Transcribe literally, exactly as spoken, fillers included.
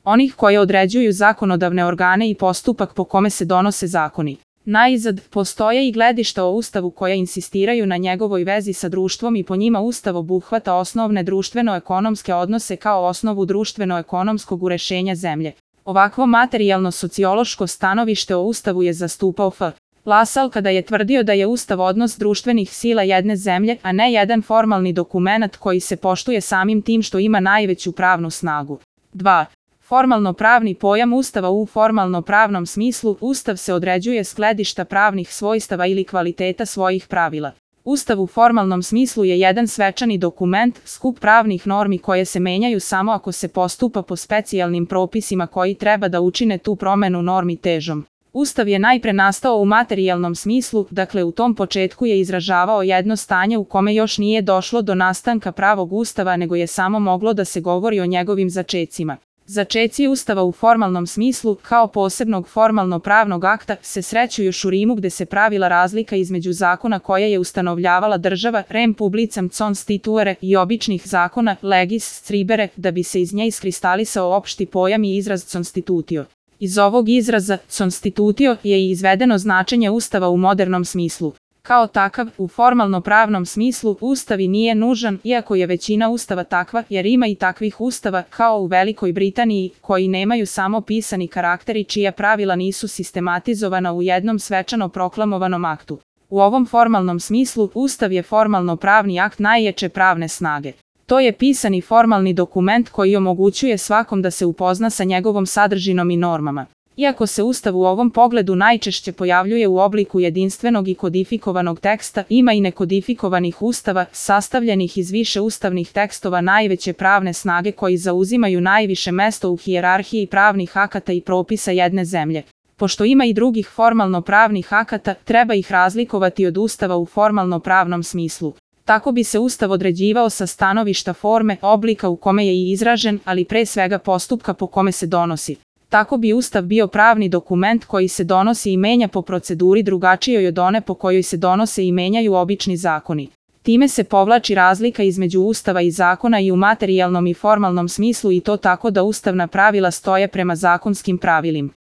onih koje određuju zakonodavne organe i postupak po kome se donose zakoni. Najzad, postoje i gledišta o Ustavu koja insistiraju na njegovoj vezi sa društvom i po njima Ustav obuhvata osnovne društveno-ekonomske odnose kao osnovu društveno-ekonomskog urešenja zemlje. Ovakvo materijalno-sociološko stanovište o Ustavu je zastupao F. Lasal kada je tvrdio da je Ustav odnos društvenih sila jedne zemlje, a ne jedan formalni dokumenat koji se poštuje samim tim što ima najveću pravnu snagu. dva. Formalno-pravni pojam Ustava. U formalno-pravnom smislu, Ustav se određuje s gledišta pravnih svojstava ili kvaliteta svojih pravila. Ustav u formalnom smislu je jedan svečani dokument, skup pravnih normi koje se menjaju samo ako se postupa po specijalnim propisima koji treba da učine tu promenu normi težom. Ustav je najpre nastao u materijalnom smislu, dakle u tom početku je izražavao jedno stanje u kome još nije došlo do nastanka pravog Ustava, nego je samo moglo da se govori o njegovim začecima. Začeci Ustava u formalnom smislu, kao posebnog formalno-pravnog akta, se sreću još u Rimu gde se pravila razlika između zakona koje je ustanovljavala država, rem publicam constituere, i običnih zakona, legis scribere, da bi se iz nje iskristalisao opšti pojam i izraz constitutio. Iz ovog izraza, constitutio, je i izvedeno značenje Ustava u modernom smislu. Kao takav, u formalno-pravnom smislu, Ustav i nije nužan, iako je većina Ustava takva, jer ima i takvih Ustava, kao u Velikoj Britaniji, koji nemaju samo pisani karakter i čija pravila nisu sistematizovana u jednom svečano proklamovanom aktu. U ovom formalnom smislu, Ustav je formalno-pravni akt najjače pravne snage. To je pisani formalni dokument koji omogućuje svakom da se upozna sa njegovom sadržinom i normama. Iako se Ustav u ovom pogledu najčešće pojavljuje u obliku jedinstvenog i kodifikovanog teksta, ima i nekodifikovanih ustava, sastavljenih iz više ustavnih tekstova najveće pravne snage koji zauzimaju najviše mesto u hijerarhiji pravnih akata i propisa jedne zemlje. Pošto ima i drugih formalno-pravnih akata, treba ih razlikovati od Ustava u formalno-pravnom smislu. Tako bi se Ustav određivao sa stanovišta forme, oblika u kome je i izražen, ali pre svega postupka po kome se donosi. Tako bi Ustav bio pravni dokument koji se donosi i menja po proceduri drugačijoj od one po kojoj se donose i menjaju obični zakoni. Time se povlači razlika između Ustava i zakona i u materijalnom i formalnom smislu, i to tako da ustavna pravila stoje prema zakonskim pravilima.